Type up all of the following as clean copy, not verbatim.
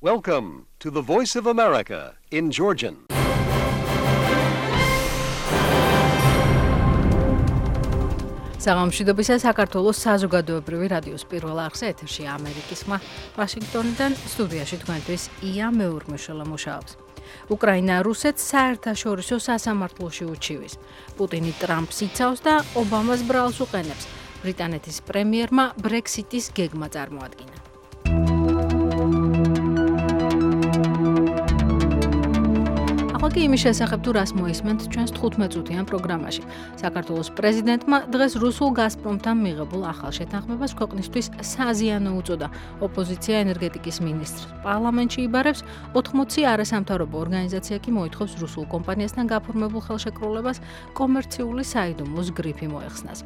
Welcome to the Voice of America in Georgian. საღამოშვიდობისა საქართველოს საზოგადოებრივი რადიოს პირველ არხზე ეთერში ამერიკის ხმა ვაშინგტონიდან სტუდიაში თქვენთვის ია მეურმიშელა მუშაობს. უკრაინა რუსეთს საერთაშორისო სასამართლოში უჩივის. პუტინი ტრამპს იცავს და ობამას ბრალს უყენებს. ბრიტანეთის პრემიერმა ბრექსიტის გეგმა წარმოადგინა. ახლა კი იმის შესახებ თუ რას მოისმენთ ჩვენს 15-წუთიან პროგრამაში. საქართველოს პრეზიდენტმა დღეს რუსულ გაზპრომთან მიღებულ ახალ შეთანხმებას ქვეყნისთვის საზიანო უწოდა. ოპოზიცია ენერგეტიკის მინისტრს პარლამენტში იბარებს, 80 არასამთავრობო ორგანიზაცია კი მოითხოვს რუსულ კომპანიასთან გაფორმებულ ხელშეკრულებას კომერციული საიდუმლოს გრიფი მოეხსნას.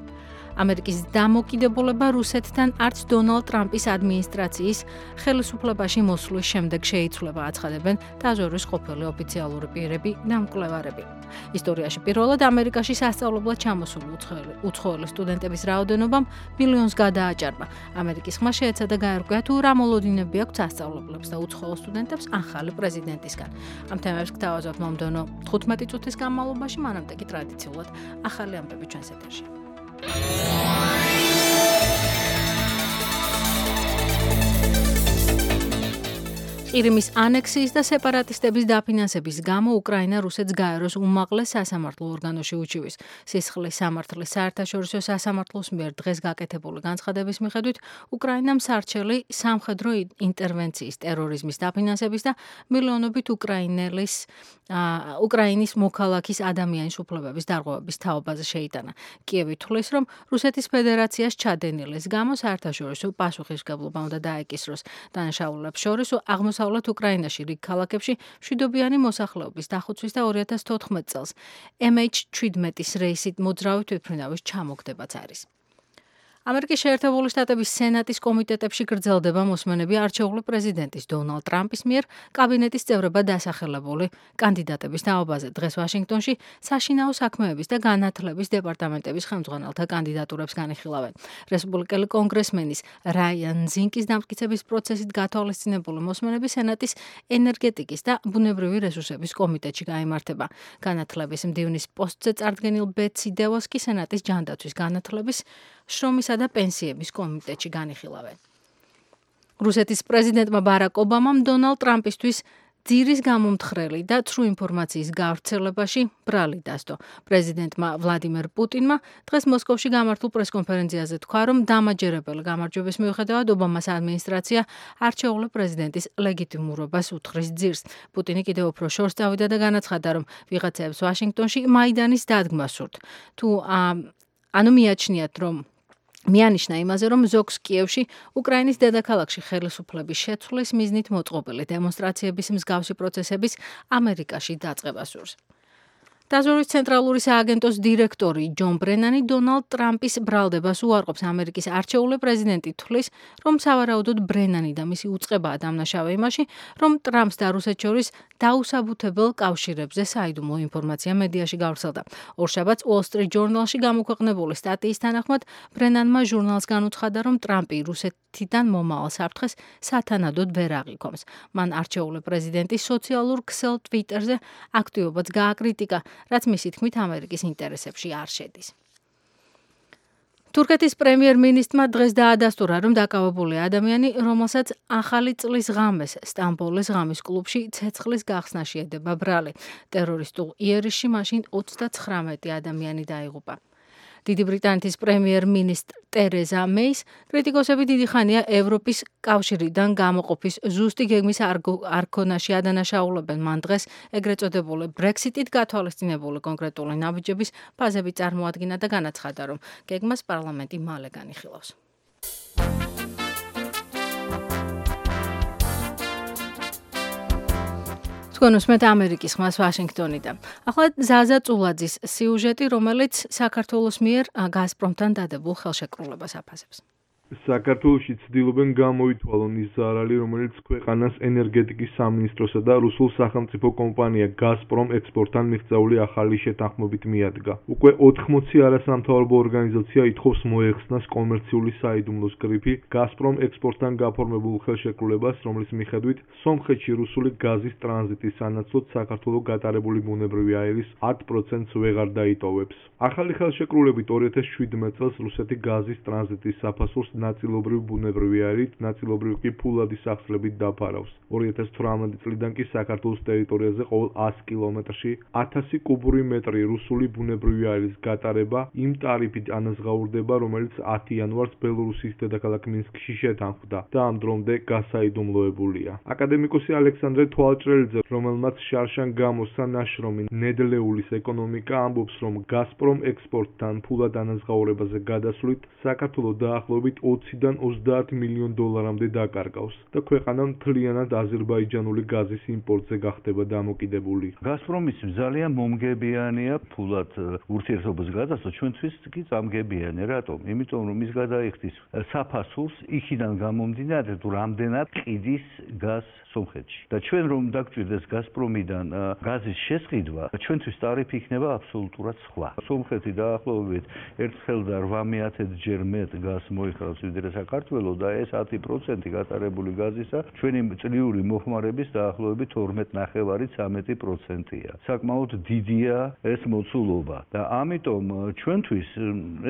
ამერიკის დამოკიდებულება რუსეთთან არც დონალდ ტრამპის ადმინისტრაციის ხელისუფლებაში მოსვლის შემდეგ შეიცვლება, აცხადებენ დაზვერვის ყოფილი ოფიციალური პირები და მკვლევარები. ისტორიაში პირველად ამერიკაში სასწავლებლად ჩამოსული უცხოელი სტუდენტების რაოდენობამ მილიონს გადააჭარბა. ამერიკის ხმა შეეცადა გაერკვია თუ რა მოლოდინები აქვს სასწავლებლებს და უცხოელ სტუდენტებს ახალი პრეზიდენტისგან. ამ თემებს გთავაზობთ მომდევნო 15 წუთის განმავლობაში, მანამდე კი ტრადიციულად ახალი ამბები ჩვენს ეთერში. ყირიმის ანექსიის და სეპარატისტების დაფინანსების გამო უკრაინა რუსეთს გაეროს უმაღლეს სასამართლო ორგანოში უჩივის. სისხლის სამართლის საერთაშორისო სასამართლოს მიერ დღეს გაკეთებული განცხადების მიხედვით უკრაინამ სარჩელი სამხედრო ინტერვენციის, ტერორიზმის დაფინანსების და მილიონობით უკრაინის მოქალაქის ადამიანის უფლებების დარღვევების თაობაზე შეიტანა. კიევი თვლის, რომ რუსეთის ფედერაციას ჩადენილის გამო საერთაშორისო პასუხისმგებლობა უნდა დაეკისროს. დანაშაულებს შორის აღმოსავლეთ უკრაინაში რიგ ქალაქებში მშვიდობიანი მოსახლეობის დახოცვის და 2014 წელს MH17-ის რეისით მოძრავი თვითმფრინავის ჩამოგდებაც არის. ამერიკის შეერთებული შტატების სენატის კომიტეტებში გრძელდება მოსმენები არჩეული პრეზიდენტის დონალდ ტრამპის მიერ კაბინეტის წევრებად დასახელებული კანდიდატების თაობაზე. დღეს ვაშინგტონში საშინაო საქმეების და განათლების დეპარტამენტების ხელმძღვანელთა კანდიდატურებს განიხილავენ. რესპუბლიკელი კონგრესმენის რაიან ზინკის დამტკიცების პროცესით გათვალისწინებული მოსმენები სენატის ენერგეტიკის და ბუნებრივი რესურსების კომიტეტში გაიმართება. განათლების მდივნის პოსტზე წარდგენილ ბეტსი დევოს კი სენატის ჯანდაცვის განათლების შრომისა და პენსიების კომიტეტში განიხილავენ. რუსეთის პრეზიდენტმა ბარაკ ობამამ დონალდ ტრამპისთვის ძირის გამომთხრელი და ცრუ ინფორმაციის გავრცელებაში ბრალი დასდო. პრეზიდენტმა ვლადიმერ პუტინმა დღეს მოსკოვში გამართულ პრესკონფერენციაზე თქვა, რომ დამაჯერებელი გამარჯვების მიუხედავად ობამას ადმინისტრაცია არჩეული პრეზიდენტის ლეგიტიმურობას უთხრის ძირს. პუტინი კიდევ უფრო შორს წავიდა და განაცხადა, რომ ვიღაცებს ვაშინგტონში მაიდანის დადგმა სურთ. მიაჩნიათ, რომ მიანიშნა იმაზე, რომ ზოგს კიევში, უკრაინის დედაქალაქში ხელისუფლების შეცვლის მიზნით მოწყობილი დემონსტრაციების მსგავსი პროცესების ამერიკაში დაწყება სურს. დაზვერვის ცენტრალური სააგენტოს დირექტორი ჯონ ბრენანი დონალდ ტრამპის ბრალდებას უარყოფს. ამერიკის არჩეული პრეზიდენტი თვლის, რომ სავარაუდოდ ბრენანი და მისი უწყებაა დამნაშავე იმაში, რომ ტრამპს და რუსეთს შორის დაუსაბუთებელ კავშირებზე საიდუმლო ინფორმაცია მედიაში გავრცელდა. ორშაბათს Wall Street Journal-ში გამოქვეყნებული სტატიის თანახმად ბრენანმა ჟურნალს განუცხადა, რომ ტრამპი რუსეთიდან მომავალ საფრთხეს სათანადოდ ვერ აღიქვამს. მან არჩეული პრეზიდენტის სოციალურ ქსელ Twitter-ზე აქტივობაც გააკრიტიკა, რაც მისი თქმით ამერიკის ინტერესებში არ შედის. თურქეთის პრემიერ-მინისტრმა დღეს დაადასტურა, რომ დაკავებული ადამიანი, რომელსაც ახალი წლის ღამეს სტამბოლის ღამის კლუბში ცეცხლის გახსნა შეედება ბრალი. ტერორისტულ იერიშში მაშინ 39 ადამიანი დაიღუპა. დიდი ბრიტანეთის პრემიერ-მინისტრ ტერეზა მეის კრიტიკოსები დიდი ხანია ევროპის კავშირიდან გამოყოფის ზუსტი გეგმის არქონაში ადანაშაულებენ. მან დღეს ეგრეთ წოდებული ბრექსიტით გათვალისწინებული კონკრეტული ნაბიჯების ფაზები წარმოადგინა და განაცხადა, რომ გეგმას პარლამენტი მალე განიხილავს. თქვენ უსმენთ ამერიკის ხმას ვაშინგტონიდან. ახლა ზაზა წულაძის სიუჟეტი, რომელიც საქართველოს მიერ გაზპრომთან დადებულ ხელშეკრულებას აფასებს. საქართველოში ცდილობენ გამოითვალონ ის ზარალი, რომელიც ქვეყანას ენერგეტიკის სამინისტროსა და რუსულ სახელმწიფო კომპანია გაზპრომ ექსპორტთან მიღწეული ახალი შეთანხმებით მიადგა. უკვე 80 არასამთავრობო ორგანიზაცია ითხოვს მოეხსნას კომერციული საიდუმლოს გრიფი გაზპრომ ექსპორტთან გაფორმებულ ხელშეკრულებას, რომლის მიხედვით სომხეთში რუსული გაზის ტრანზიტის სანაცვლოდ საქართველო გატარებული ბუნებრივი აირის 10%-ს ვეღარ დაიტოვებს. ახალი ხელშეკრულებით 2017 წელს რუსეთი გაზის ტრანზიტის საფასურს ნაწილობრივ ბუნებრივი აირით, ნაწილობრივ კი ფულადის სახსრებით დაფარავს. 2018 წლიდან კი საქართველოს ტერიტორიაზე ყოველ 100 კილომეტრში 1000 კუბური მეტრი რუსული ბუნებრივი აირის გატარება იმ ტარიფით ანაზღაურდება, რომელიც 10 იანვარს ბელორუსის დედაქალაქ მინსკში შეთანხმდა და ამ დრომდე გასაიდუმლოებულია. აკადემიკოსი ალექსანდრე თვალჭრელიძე, რომელმაც შარშან გამოსცა ნაშრომი ნედლეულის ეკონომიკა, ამბობს, რომ გაზპრომ ექსპორტთან ფულად ანაზღაურებაზე გადასვლით საქართველო დაახლოებით 20-დან 30 მილიონ დოლარამდე დაკარგავს და ქვეყანა მთლიანად აზერბაიჯანული გაზის იმპორტზე გახდება დამოკიდებული. გაზპრომის ძალიან მომგებიანია ფულად ურთიერთობის გადასვლა, ჩვენთვის კი წამგებიანი. რატომ? იმიტომ რომ ის გადაიხდის საფასურს იქიდან გამომდინარე, თუ რამდენად ყიდის გაზს სომხეთში. და ჩვენ რომ დაგჭირდეს გაზპრომიდან გაზის შესყიდვა, ჩვენთვის ტარიფი იქნება აბსოლუტურად სხვა. სომხეთი დაახლოებით 1,8 ჯერ მეტ გაზს მოიხსნავს ვიდრე საქართველო და ეს 10% გატარებული გაზისა ჩვენი წლიური მოხმარების დაახლოებით 12.5-13%-ია. საკმაოდ დიდია ეს მოცულობა და ამიტომ ჩვენთვის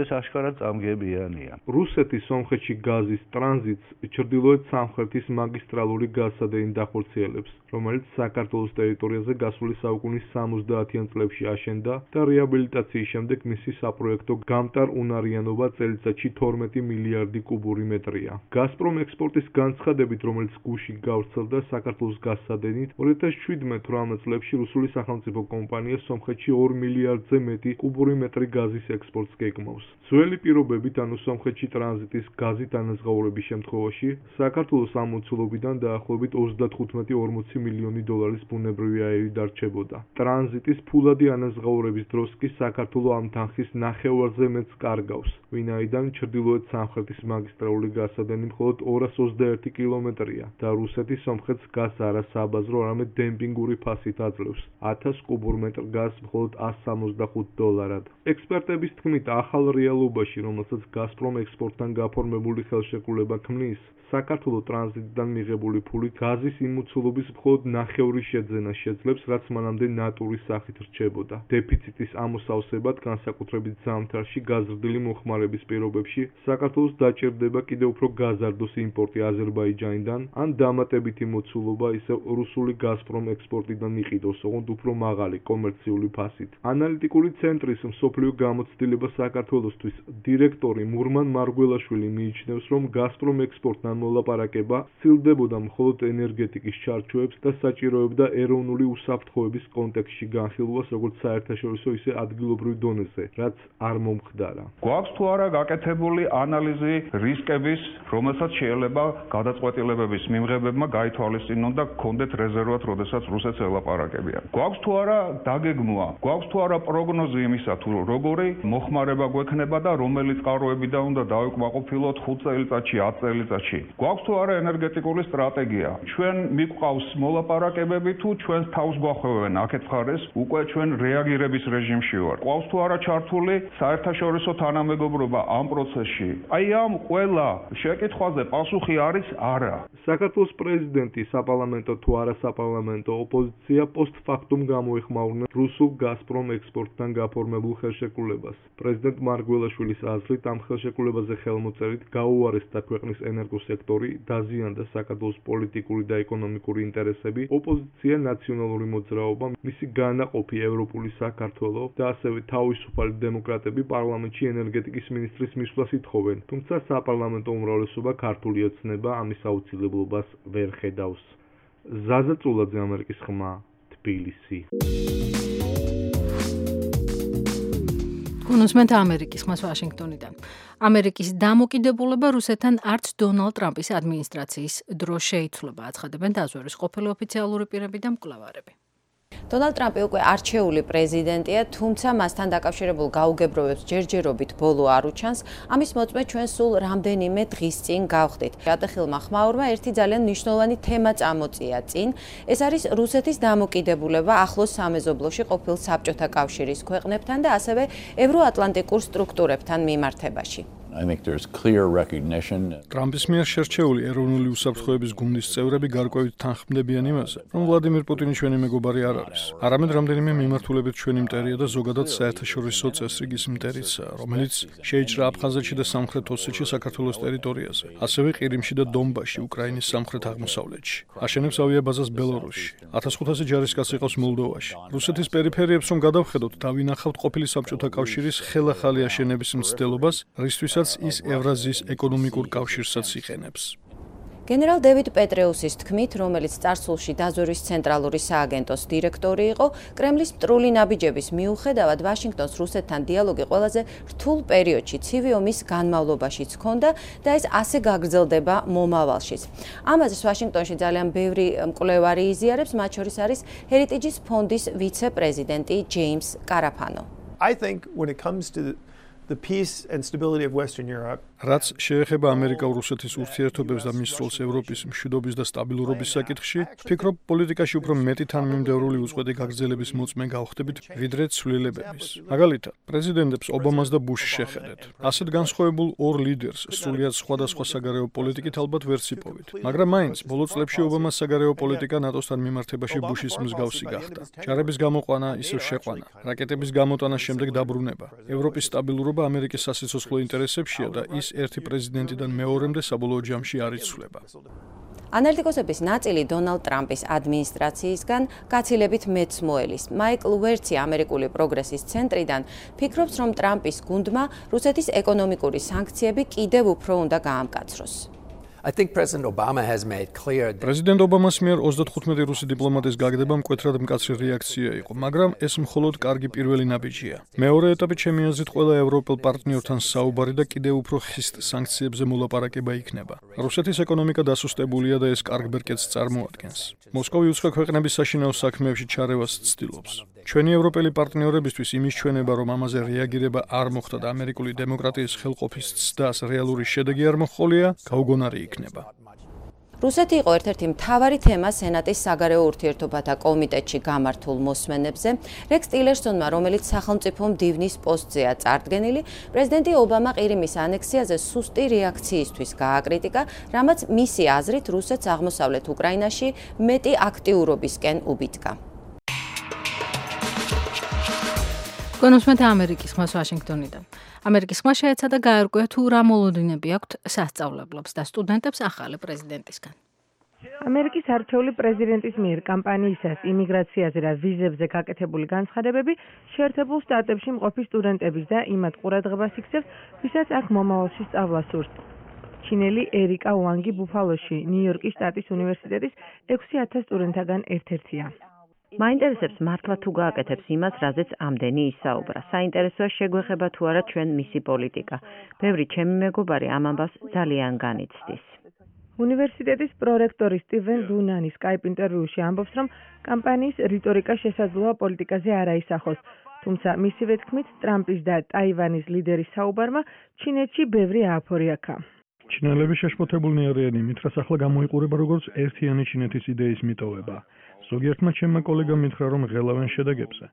ეს აშკარად წამგებიანია. რუსეთის სომხეთში გაზის ტრანზიტს ჩრდილოეთ სამხრეთის მაგისტრალური გაზსადენი დახორციელებს, რომელიც საქართველოს ტერიტორიაზე გასული საუკუნის 70-იან წლებში აშენდა და რეაბილიტაციის შემდეგ მისი საპროექტო გამტარ-უნარიანობა წელიწადში 12 მილიარდი კუბური მეტრია. გაზპრომ ექსპორტის განცხადებით, რომელიც გუში გავრცელდა საქართველოს გაზსადენით, 2017-18 წლებში რუსული სახელმწიფო კომპანია სომხეთში 2 მილიარდზე მეტი კუბური მეტრი გაზის ექსპორტს გეგმავს. ძველი პირობებით, ანუ სომხეთში ტრანზიტის გაზით ანაზღაურების შემთხვევაში, საქართველოს ამ მოცულობიდან დაახლოებით 35-40 მილიონი დოლარის ბუნებრივი აირი დარჩებოდა. ტრანზიტის ფულადი ანაზღაურების დროს კი საქართველო ამ თანხის ნახევარზე მეტს კარგავს, ვინაიდან ჩრდილოეთ სამხრეთის მაგისტრალური გაზსადენი მხოლოდ 221 კილომეტრია და რუსეთი სომხეთს გაზს არა საბაზრო, არამედ დემპინგური ფასით აძლევს 1000 კუბურ მეტრ გაზს მხოლოდ $165. ექსპერტების თქმით, ახალ რეალობაში, რომელსაც გაზპრომ ექსპორტთან გაფორმებული ხელშეკრულება ქმნის, საქართველო ტრანზიტიდან მიღებული ფულით გაზის იმოცულობის მხოლოდ ნახევრის შეძენას შეძლებს, რაც მანამდე ნატურის სახით რჩებოდა. დეფიციტის ამოსავსებად, განსაკუთრებით ზამთარში გაზრდილი მოხმარების პირობებში, საქართველოს დაჭირდება კიდევ უფრო გაზარდოს იმპორტი აზერბაიჯანიდან, ან დამატებითი მოცულობა ისევ რუსული გაზპრომ ექსპორტიდან იყიდოს, ოღონდ უფრო მაღალი კომერციული ფასით. ანალიტიკური ცენტრის მსოფლიო გამოცდილება საქართველოსთვის დირექტორი მურმან მარგველაშვილი მიიჩნევს, რომ გაზპრომ ექსპორტთან მოლაპარაკება სცილდებოდა მხოლოდ ენერგეტიკის ჩარჩოებს და საჭიროებდა ეროვნული უსაფრთხოების კონტექსტში განხილვას როგორც საერთაშორისო, ისე ადგილობრივ დონეზე, რაც არ მომხდარა. გვაქვს თუ არა გაკეთებული ანალიზი რისკების, რომელსაც შეიძლება გადაწყვეტილებების მიმღებებმა გაითვალისწინონ და გქონდეთ რეზერვად, როდესაც რუსეთს ელაპარაკებიან. გვაქვს თუ არა დაგეგმვა, გვაქვს თუ არა პროგნოზი იმისა, თუ როგორი მოხმარება გვექნება და რომელი წყაროებიდან უნდა დავიკმაყოფილოთ 5 წელიწადში, 10 წელიწადში. გვაქვს თუ არა ენერგეტიკული სტრატეგია. ჩვენ მიგვყავს მოლაპარაკებები თუ ჩვენს თავს გვახვევენ აქეთ მხარეს, უკვე ჩვენ რეაგირების რეჟიმში ვართ. გვაქვს თუ არა ჩართული საერთაშორისო თანამეგობრობა ამ პროცესში. აი ამ ყველა შეკითხვაზე პასუხი არის არა. საქართველოს პრეზიდენტი, საპარლამენტო თუ არასაპარლამენტო ოპოზიცია პოსტფაქტუმ გამოეხმაურნენ რუსულ გაზპრომ ექსპორტთან გაფორმებულ ხელშეკრულებას. პრეზიდენტ მარგველაშვილის აზრით, ამ ხელშეკრულებაზე ხელმოწერით გაუარესდა ქვეყნის ენერგოსექტორი, დაზიანდა საქართველოს პოლიტიკური და ეკონომიკური ინტერესები, ოპოზიცია ნაციონალური მოძრაობა, მისი განაყოფი ევროპული საქართველო და ასევე თავისუფალი დემოკრატები პარლამენტში ენერგეტიკის მინისტრის მისვლას ითხოვენ, თუმცა საპარლამენტო უმრავლესობა ქართული ოცნება ამის აუცილებლობას ვერ ხედავს. ზაზა წულაძე, ამერიკის ხმა, თბილისი. გუნუსმენთ ამერიკის ხმას ვაშინგტონიდან. ამერიკის დამოკიდებულება რუსეთთან არც დონალდ ტრამპის ადმინისტრაციის დროს შეიცვლება, აცხადებენ დაზვერვის ყოფილი ოფიციალური პირები და მკვლევარები. დონალდ ტრამპი უკვე არჩეული პრეზიდენტია, თუმცა მასთან დაკავშირებულ გაუგებრობებს ჯერჯერობით ბოლო არ უჩანს. ამის მოწმე ჩვენ სულ რამდენიმე დღის წინ გავხდით. ატეხილმა ხმაურმა ერთი ძალიან მნიშვნელოვანი თემა წამოწია წინ. ეს არის რუსეთის დამოკიდებულება ახლოს სამეზობლოში ყოფილ საბჭოთა კავშირის ქვეყნებთან და ასევე ევროატლანტიკურ სტრუქტურებთან მიმართებაში. ტრამპის მიერ შერჩეული ეროვნული უსაფრთხოების გუნდის წევრები გარკვევით თანხმდებიან იმაზე, რომ ვლადიმირ პუტინი ჩვენი მეგობარი არ არის. არამედ რამდენიმე მიმართულებით ჩვენი მტერია და ზოგადად საერთაშორისო წესრიგის მტერიცაა, რომელიც შეიჭრა აფხაზეთში და სამხრეთ ოსეთში საქართველოს ტერიტორიაზე, ასევე ყირიმში და დონბასში, უკრაინის სამხრეთ აღმოსავლეთში. აშენებს ავიაბაზას ბელორუსში. 1500 ჯარისკაცი ყავს მოლდოვაში. რუსეთის პერიფერიებს რომ გადავხედოთ, დავინახავთ ყოფილი საბჭოთა კავშირის ხელახალი აშენების მცდელობას, რისთვისაც ის ევრაზიის ეკონომიკურ კავშირსაც იყენებს. გენერალ დევიდ პეტრეუსის თქმით, რომელიც წარსულში დაზვერვის ცენტრალური სააგენტოს დირექტორი იყო, კრემლის მტრული ნაბიჯების მიუხედავად ვაშინგტონს რუსეთთან დიალოგი ყველაზე რთულ პერიოდში ცივი ომის განმავლობაშიც ჰქონდა და ეს ასე გაგრძელდება მომავალშიც. ამაზეც ვაშინგტონში ძალიან ბევრი მკვლევარი იზიარებს, მათ შორის არის ჰერიტეჯის ფონდის ვიცე-პრეზიდენტი ჯეიმს კარაფანო. I think when it comes to the peace and stability of Western Europe, რაც შეეხება ამერიკა-რუსეთის ურთიერთობებს და მის როლს ევროპის მშვიდობის და სტაბილურობის საკითხში, ვფიქრობ, პოლიტიკაში უფრო მეტი თანმიმდევრული უწყვეტი გაგრძელების მოწმე გავხდებით, ვიდრე ცვლილებების. მაგალითად, პრეზიდენტებს ობამას და ბუშს შეხედეთ. ასეთ განსხვავებულ ორ ლიდერს სრულიად სხვადასხვა საგარეო პოლიტიკით ალბათ ვერ ციპოვით, მაგრამ მაინც ბოლო წლებში ობამას საგარეო პოლიტიკა ნატოსთან მიმართებაში ბუშის მსგავსი გახდა. ჯარების გამოყვანა, ისევ შეყვანა, რაკეტების გამოტანა შემდეგ დაბრუნება. ევროპის სტაბილურობა ამერიკის სასიცოცხლო ინტერესებშია და ის ერთი პრეზიდენტიდან მეორემდე საბოლოო ჯამში არ იცვლება. ანალიტიკოსების ნაწილი დონალდ ტრამპის ადმინისტრაციისგან გაცილებით მეც მოელის. მაიკლ ვერცი ამერიკული პროგრესის ცენტრიდან ფიქრობს, რომ ტრამპის გუნდმა რუსეთის ეკონომიკური სანქციები კიდევ უფრო უნდა გაამკაცროს. I think President Obama has made clear that პრეზიდენტ ობამას მიერ 35 რუსი დიპლომატის გაგდება მკვეთრად მკაცრი რეაქცია იყო, მაგრამ ეს მხოლოდ კარგი პირველი ნაბიჯია. მეორე ეტაპი ჩემი აზრით ყველა ევროპელ პარტნიორთან საუბარი და კიდევ უფრო ხისტ სანქციებზე მოლაპარაკება იქნება. რუსეთის ეკონომიკა დასუსტებულია და ეს კარგ ბერკეტს წარმოადგენს. მოსკოვი უცხო ქვეყნების საშინაო საქმეებში ჩარევას ცდილობს. ჩვენი ევროპელი პარტნიორებისთვის იმის ჩვენება, რომ ამაზე რეაგირება არ მოხდა და ამერიკული დემოკრატიის ხელყოფის ცდას რეალური შედეგი არ მოჰყოლია, გაუგონარი იქნება. რუსეთი იყო ერთ-ერთი მთავარი თემა სენატის საგარეო ურთიერთობათა კომიტეტში გამართულ მოსმენებზე. რექს ტილერსონმა, რომელიც სახელმწიფო მდივნის პოსტზეა წარდგენილი, პრეზიდენტი ობამა ყირიმის ანექსიაზე სუსტი რეაქციისთვის გააკრიტიკა, რამაც მისი აზრით რუსეთს აღმოსავლეთ უკრაინაში მეტი აქტიურობისკენ უბიძგა. კონსუმენტ ამერიკის ხმას ვაშინგტონიდან. ამერიკის ხმა შეეცადა გაერკვია თუ რა მოლოდინები აქვთ სასწავლებლებს და სტუდენტებს ახალი პრეზიდენტისგან. ამერიკის არჩეული პრეზიდენტის მიერ კამპანიისას იმიგრაციაზე და ვიზებზე გაკეთებული განცხადებები შეერთებულ შტატებში მყოფი სტუდენტების და იმათ ყურადღებას იქცევს, ვისაც აქ მომავალში სწავლა სურს. ჩინელი ერიკა უანგი ბუფალოში, ნიუ-იორკის შტატის უნივერსიტეტის 6000 სტუდენტთაგან ერთ-ერთია. მაინტერესებს მართლა თუ გააკეთებს იმას, რაზეც ამდენი ისაუბრა. საინტერესოა შეგვეხება თუ არა ჩვენ მისი პოლიტიკა. ბევრი ჩემი მეგობარი ამ ამბავს ძალიან განიცდის. უნივერსიტეტის პრორექტორი სტივენ დუნანი Skype ინტერვიუში ამბობს, რომ კამპანიის რიტორიკა შესაძლოა პოლიტიკაზე არ აისახოს. თუმცა მისივე თქმით, ტრამპის და ტაივანის ლიდერის საუბარმა ჩინეთში ბევრი ააფორიაქა. ჩინელები შეშფოთებულნი არიან იმით, რაც ახლა გამოიყურება როგორც ერთიანი ჩინეთის იდეის მიტოვება. ზოგიერთმა ჩემმა კოლეგამ მითხრა, რომ ღელავენ შედეგებზე.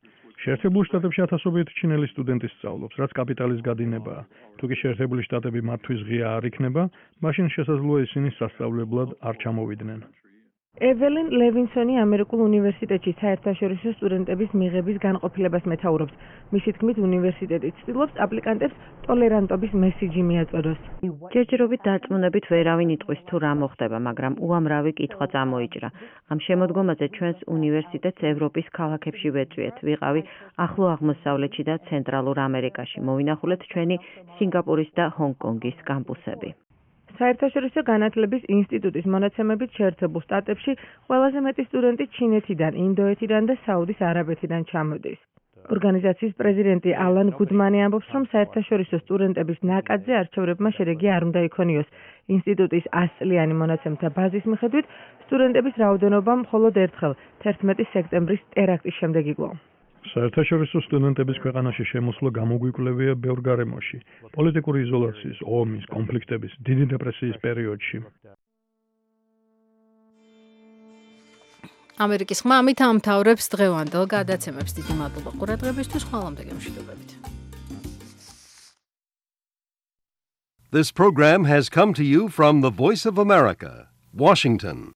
შეერთებულ შტატებში ათასობით ჩინელი სტუდენტი სწავლობს, რაც კაპიტალის გადინებაა. თუ კი შეერთებული შტატები მათთვის ღია არ იქნება, მაშინ შესაძლოა ისინი სასწავლებლად არ ჩამოვიდნენ. ეველინ ლევინსონი ამერიკულ უნივერსიტეტში საერთაშორისო სტუდენტების მიღების განყოფილებას მეთაურობს. მისი თქმით, უნივერსიტეტი ცდილობს აპლიკანტებს ტოლერანტობის მესიჯი მიაწოდოს. ჯერჯერობით დარწმუნებით ვერავინ იტყვის თუ რა მოხდება, მაგრამ უამრავი კითხვა წამოიჭრა. ამ შემოდგომაზე ჩვენს უნივერსიტეტს ევროპის ქალაქებში ვეწვიეთ. ვიყავი ახლო აღმოსავლეთში და ცენტრალურ ამერიკაში. მოვინახულეთ ჩვენი სინგაპურის და ჰონგ-კონგის კამპუსები. საერთაშორისო განათლების ინსტიტუტის მონაცემებით შეერთებულ შტატებში ყველაზე მეტი სტუდენტი ჩინეთიდან, ინდოეთიდან და საუდის არაბეთიდან ჩამოდის. ორგანიზაციის პრეზიდენტი ალან გუდმანი ამბობს, რომ საერთაშორისო სტუდენტების ნაკადზე არჩევრებმა შედეგი არ უნდა იქონიოს. ინსტიტუტის 100 წლიანი მონაცემთა ბაზის მიხედვით, სტუდენტების რაოდენობა მხოლოდ ერთხელ 11 სექტემბრის ტერაქტის შემდეგ იკლო. საერთაშორისო სტუდენტების ქვეყანაში შემოსვლა გამოგვიკვლევია ბევრ გარემოში, პოლიტიკური იზოლაციის, ომის, კონფლიქტების, დიდი დეპრესიის პერიოდში. ამერიკის ხმა ამით ამთავრებს დღევანდელ გადაცემებს. დიდი მადლობა ყურადღებისთვის, ხვალამდე გემშვიდობებით. This program has come to you from the Voice of America, Washington.